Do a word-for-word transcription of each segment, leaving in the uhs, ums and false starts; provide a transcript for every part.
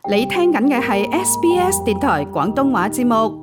你聽緊嘅係 S B S 電台廣東話節目。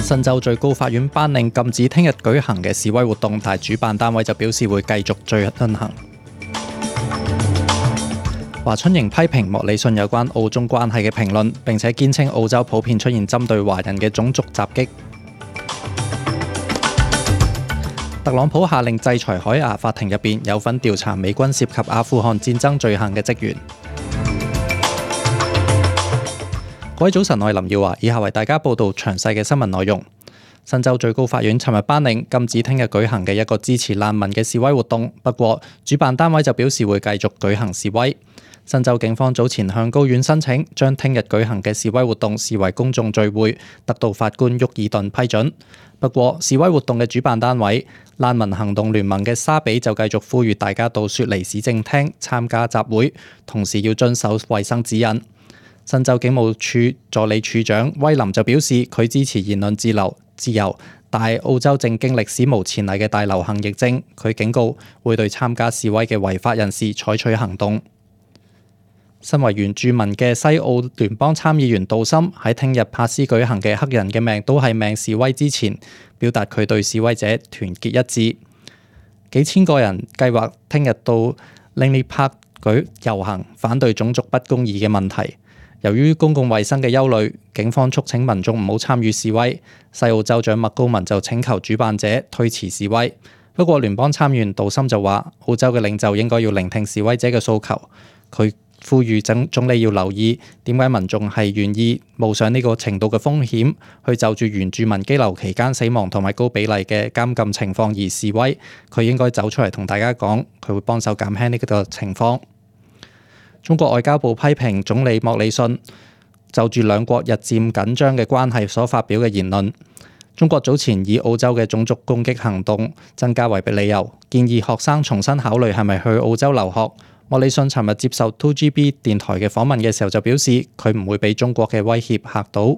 新州最高法院頒令禁止聽日舉行嘅示威活動，但主辦單位就表示會繼續進行。華春瑩批評莫里遜有關澳中關係嘅評論，並且堅稱澳洲普遍出現針對華人嘅種族襲擊。特朗普下令制裁海牙法庭入邊有份調查美軍涉及阿富汗戰爭罪行嘅職員。各位早晨，我係林耀華，以下為大家報道詳細嘅新聞內容。新州最高法院尋日頒令禁止聽日舉行嘅一個支持難民嘅示威活動，不過主辦單位就表示會繼續舉行示威。新州警方早前向高院申請將聽日舉行嘅示威活動視為公眾聚會，得到法官沃爾頓批准。不過示威活動嘅主辦單位難民行動聯盟嘅沙比就繼續呼籲大家到雪梨市政廳參加集會，同時要遵守衛生指引。新州警務處助理處長威林就表示，佢支持言論自由，自由，但係澳洲正經歷史無前例嘅大流行疫症，佢警告會對參加示威嘅違法人士採取行動。身為原住民嘅西澳聯邦參議員杜森喺聽日帕斯舉行嘅黑人嘅命都係命示威之前，表達佢對示威者團結一致。幾千個人計劃聽日到 Langley Park 舉遊行，反對種族不公義嘅問題。由於公共衛生嘅憂慮，警方促請民眾唔好參與示威。西澳州長麥高文就請求主辦者推遲示威。不過聯邦參議員杜森就話，澳洲嘅領袖應該要聆聽示威者嘅訴求。佢呼籲總總理要留意點解民眾係願意冒上呢個程度嘅風險，去就住原住民羈留期間死亡同埋高比例嘅監禁情況而示威。佢應該走出嚟同大家講，佢會幫手減輕呢個情況。中國外交部批評總理莫里遜就住兩國日漸緊張嘅關係所發表嘅言論。中國早前以澳洲嘅種族攻擊行動增加為理由，建議學生重新考慮係咪去澳洲留學。莫里遜尋日接受 two G B 電台嘅訪問嘅時候就表示，佢唔會俾中國嘅威脅嚇到。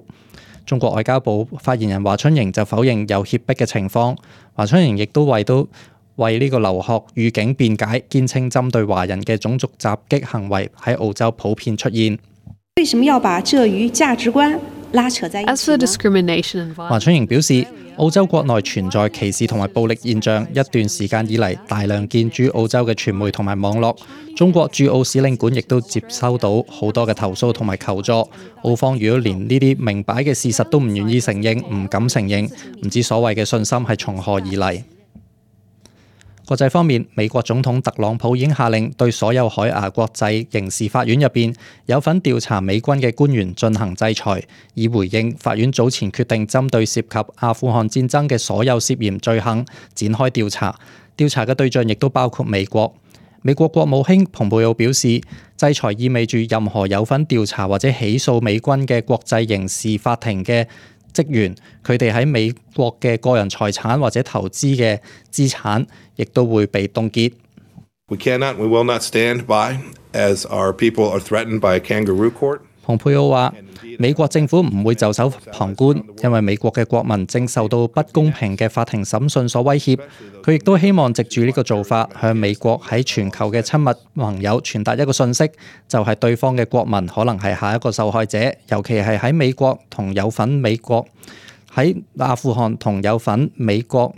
中國外交部發言人華春瑩就否認有脅迫嘅情況。華春瑩亦都為到為呢個留學預警辯解，堅稱針對華人嘅種族襲擊行為喺澳洲普遍出現。為什麼要把這與價值觀拉扯在一起呢？華春瑩表示，澳洲國內存在歧視同埋暴力現象，一段時間以嚟大量見諸澳洲嘅傳媒同埋網絡。中國駐澳使領館亦都接收到好多嘅投訴同埋求助。澳方如果連呢啲明擺嘅事實都唔願意承認，唔敢承認，唔知所謂嘅信心係從何而嚟。國際方面，美國總統特朗普已經下令對所有海牙國際刑事法院入邊有份調查美軍嘅官員進行制裁，以回應法院早前決定針對涉及阿富汗戰爭嘅所有涉嫌罪行展開調查。調查嘅對象亦都包括美國。美國國務卿蓬佩奧表示，制裁意味住任何有份調查或者起訴美軍嘅國際刑事法庭嘅職員，佢哋喺美國嘅個人財產或者投資嘅資產，亦都會被凍結。We cannot, we will not stand by as our people are threatened by a kangaroo court. 蓬佩奧話：美國政府唔會袖手旁觀，因為美國嘅國民正受到不公平嘅法庭審訊所威脅。佢亦都希望藉住呢個做法，向美國喺全球嘅親密盟友傳達一個訊息，就係對方嘅國民可能係下一個受害者，尤其係喺美國同有份美國喺阿富汗同有份美國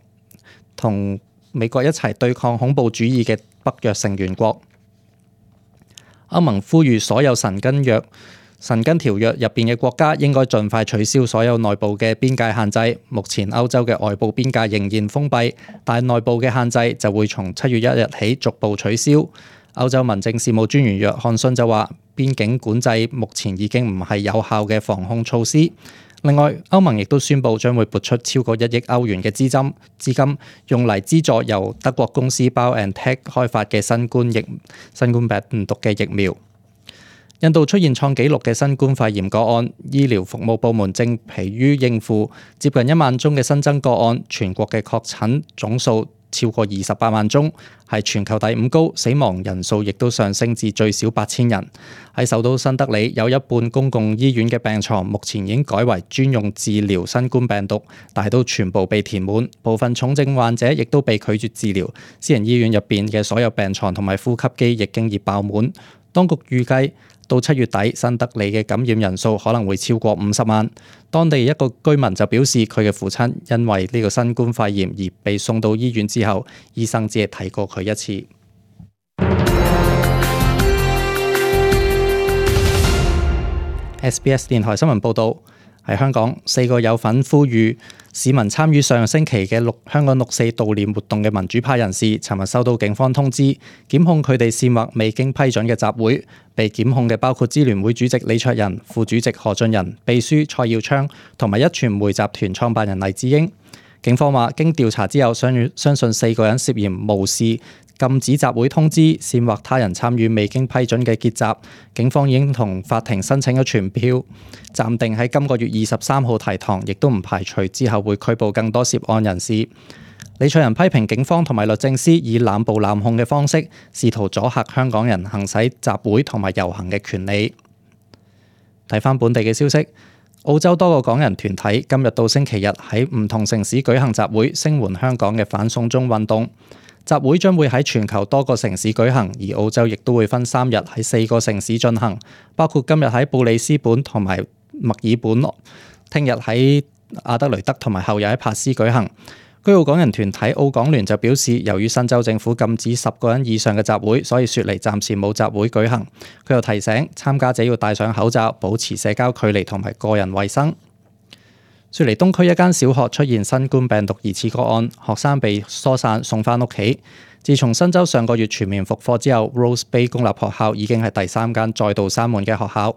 同美國一齊對抗恐怖主義嘅北約成員國。歐盟呼籲所有申根約申根條約入邊嘅國家應該盡快取消所有內部嘅邊界限制。目前歐洲嘅外部邊界仍然封閉，但內部嘅限制就會從七月一日起逐步取消。歐洲民政事務專員約翰遜就話，邊境管制目前已經唔係有效嘅防控措施。另外，歐盟亦都宣布將會撥出超過一億歐元嘅資金，資金用嚟資助由德國公司 BioNTech 開發嘅新冠疫新冠病毒嘅疫苗。印度出現創紀錄嘅新冠肺炎個案，醫療服務部門正疲於應付接近一萬宗嘅新增個案，全國嘅確診總數超過二十八萬宗，係全球第五高，死亡人數亦都上升至最少八千人。喺首都新德里，有一半公共醫院嘅病床目前已經改為專用治療新冠病毒，但係都全部被填滿，部分重症患者亦都被拒絕治療。私人醫院入邊嘅所有病床同埋呼吸機亦經已爆滿。當局預計到七月底，新德里嘅感染人數可能會超過五十萬。當地一個居民就表示，佢嘅父親因為呢個新冠肺炎而被送到醫院之後，醫生只係睇過佢一次。S B S 電台新聞報導，喺香港，四個有份呼籲市民參與上星期嘅六香港六四悼念活動嘅民主派人士，尋日收到警方通知，檢控佢哋煽惑未經批准嘅集會。被檢控嘅包括支聯會主席李卓人、副主席何俊仁、秘書蔡耀昌同埋壹傳媒集團創辦人黎智英。警方話，經調查之後，相相信四個人涉嫌無視禁止集會通知，煽惑他人參與未經批准嘅結集。警方已經同法庭申請咗傳票，暫定喺今個月二十三號提堂，亦都唔排除之後會拘捕更多涉案人士。李卓人批評警方同埋律政司以濫捕濫控嘅方式，試圖阻嚇香港人行使集會同埋遊行嘅權利。睇返本地嘅消息，澳洲多個港人團體今日到星期日喺唔同城市舉行集會，聲援香港嘅反送中運動。集會將會喺全球多個城市舉行，而澳洲亦都會分三日喺四個城市進行，包括今日喺布里斯本同埋墨爾本，聽日喺阿德雷德同埋後日喺珀斯舉行。居澳港人團體澳港聯就表示，由於新州政府禁止十個人以上嘅集會，所以雪梨暫時冇集會舉行。佢又提醒參加者要戴上口罩，保持社交距離同埋個人衛生。雪梨東區一間小學出現新冠病毒疑似個案，學生被疏散送返屋企。自從新州上個月全面復課之後， Rose Bay 公立學校已經係第三間再度閂門嘅學校。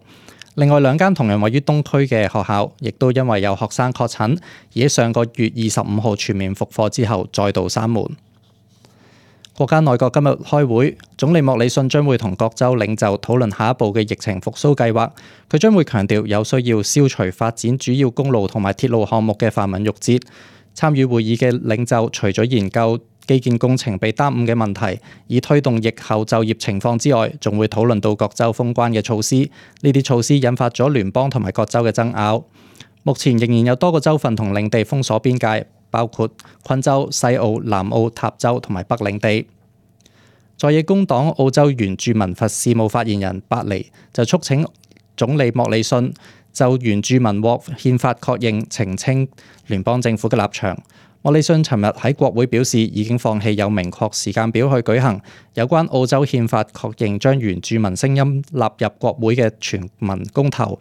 另外兩間同樣位於東區嘅學校，亦都因為有學生確診，而喺上個月二十五號全面復課之後再度閂門。國家內閣今日開會，總理莫里遜將會同各州領袖討論下一步嘅疫情復甦計劃。佢將會強調有需要消除發展主要公路同埋鐵路項目嘅繁文縟節。參與會議嘅領袖除咗研究基建工程被耽誤嘅問題，以推動疫後就業情況之外，仲會討論到各州封關嘅措施。呢啲措施引發咗聯邦同埋各州嘅爭拗。目前仍然有多個州份同領地封鎖邊界，包括昆州、西澳、南澳、塔州同埋北領地。在野工黨澳洲原住民法事務發言人伯尼就促請總理莫里遜就原住民獲憲法確認澄清聯邦政府嘅立場。莫里遜尋日喺國會表示，已經放棄有明確時間表去舉行有關澳洲憲法確認將原住民聲音納入國會嘅全民公投。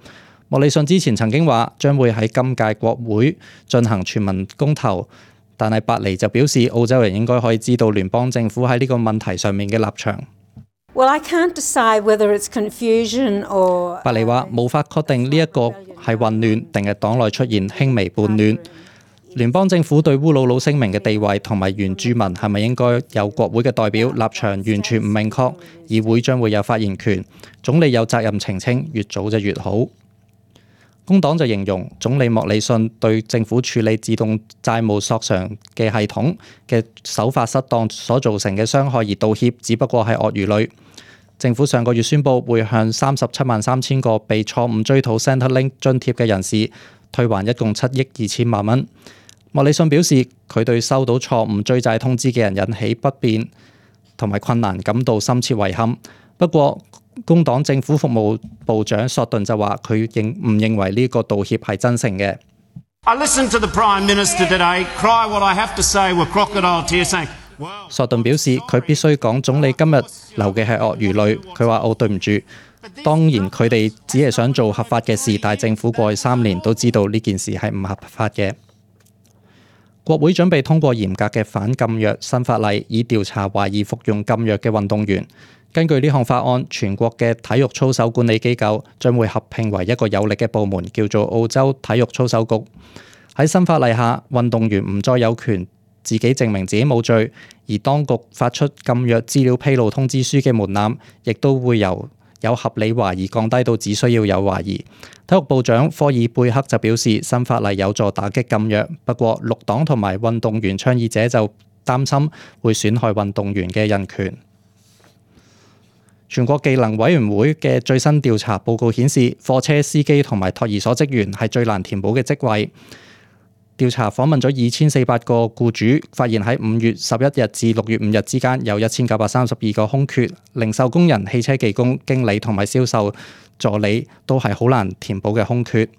莫里遜之前曾經話將會喺今屆國會進行全民公投，但係伯尼就表示澳洲人應該可以知道聯邦政府喺呢個問題上面嘅立場。Well, I can't decide whether it's confusion or... 伯尼話無法確定呢一個係混亂定係黨內出現輕微叛亂。聯邦政府對烏魯魯聲明嘅地位同埋原住民係咪應該有國會嘅代表立場完全唔明確，議會將會有發言權，總理有責任澄清，越早就越好。工黨就形容總理莫里遜對政府處理自動債務索償嘅系統嘅手法失當所造成嘅傷害而道歉，只不過係鱷魚淚。政府上個月宣布會向三十七萬三千個被錯誤追討 Centrelink 津貼嘅人士退還一共七億二千萬蚊。莫里遜表示，佢對收到錯誤追債通知嘅人引起不便同埋困難感到深切遺憾。不過，工黨政府服務部長索頓就話，佢認唔認為呢個道歉係真誠嘅。索頓表示，佢必須講總理今日流嘅係鱷魚淚。佢話：哦，對唔住，當然佢哋只係想做合法嘅事，但係政府過去三年都知道呢件事係唔合法嘅。國會準備通過嚴格嘅反禁藥新法例，以調查懷疑服用禁藥嘅運動員。根據呢項法案，全國嘅體育操守管理機構將會合併為一個有力嘅部門，叫做澳洲體育操守局。喺新法例下，運動員唔再有權自己證明自己冇罪，而當局發出禁藥資料披露通知書嘅門檻，亦都會由有合理懷疑降低到只需要有懷疑。體育部長科爾貝克就表示，新法例有助打擊禁藥，不過綠黨同埋運動員倡議者就擔心會損害運動員嘅人權。全國技能委員會嘅最新調查報告顯示，貨車司機同埋托兒所職員係最難填補嘅職位。調查訪問咗二千四百個僱主，發現喺五月十一日至六月五日之間有一千九百三十二個空缺，零售工人、汽車技工、經理同埋銷售助理都係好難填補嘅空缺。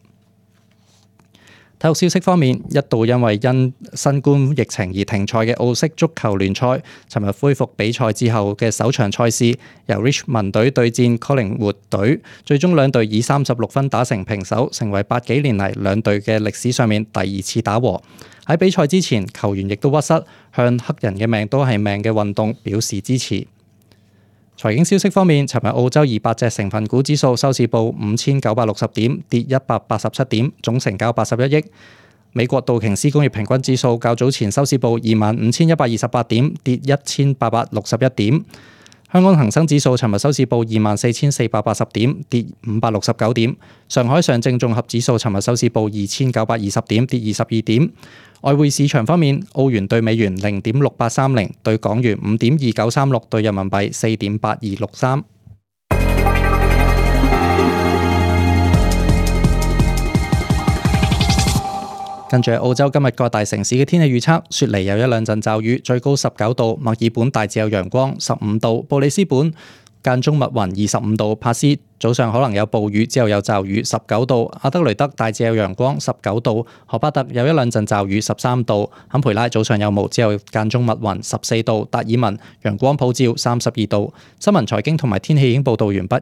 體育消息方面，一度因為因新冠疫情而停賽嘅澳式足球聯賽，尋日恢復比賽之後嘅首場賽事，由 Richmond 隊對戰 Collingwood 隊，最終兩隊以三十六分打成平手，成為八幾年嚟兩隊嘅歷史上面第二次打和。喺比賽之前，球員亦都屈膝向黑人嘅命都係命嘅運動表示支持。財經消息方面，尋日澳洲二百隻成分股指數收市報五千九百六十點，跌一百八十七點，總成交八十一億。美國道瓊斯工業平均指數較早前收市報二萬五千一百二十八點，跌一千八百六十一點。香港恒生指數尋日收市報二萬四千四百八十點，跌五百六十九點。上海上證綜合指數尋日收市報二千九百二十點，跌二十二點。外匯市場方面，澳元對美元零點六八三零，對港元五點二九三六，對人民幣四點八二六三。跟住澳洲今日各大城市嘅天氣預測，雪梨有一兩陣驟雨，最高十九度；墨爾本大致有陽光，十五度；布里斯本間中密雲，二十五度；帕斯早上可能有暴雨，之後有驟雨，十九度；阿德雷德大致有陽光，十九度；荷巴特有一兩陣驟雨，十三度；坎培拉早上有霧，之後間中密雲，十四度；達爾文陽光普照，三十二度。新聞財經同埋天氣已經報道完畢。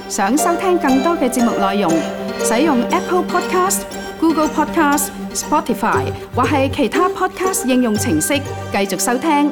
想收聽更多嘅節目內容，使用 Apple Podcast、Google Podcast、Spotify 或係其他 Podcast 應用程式繼續收聽。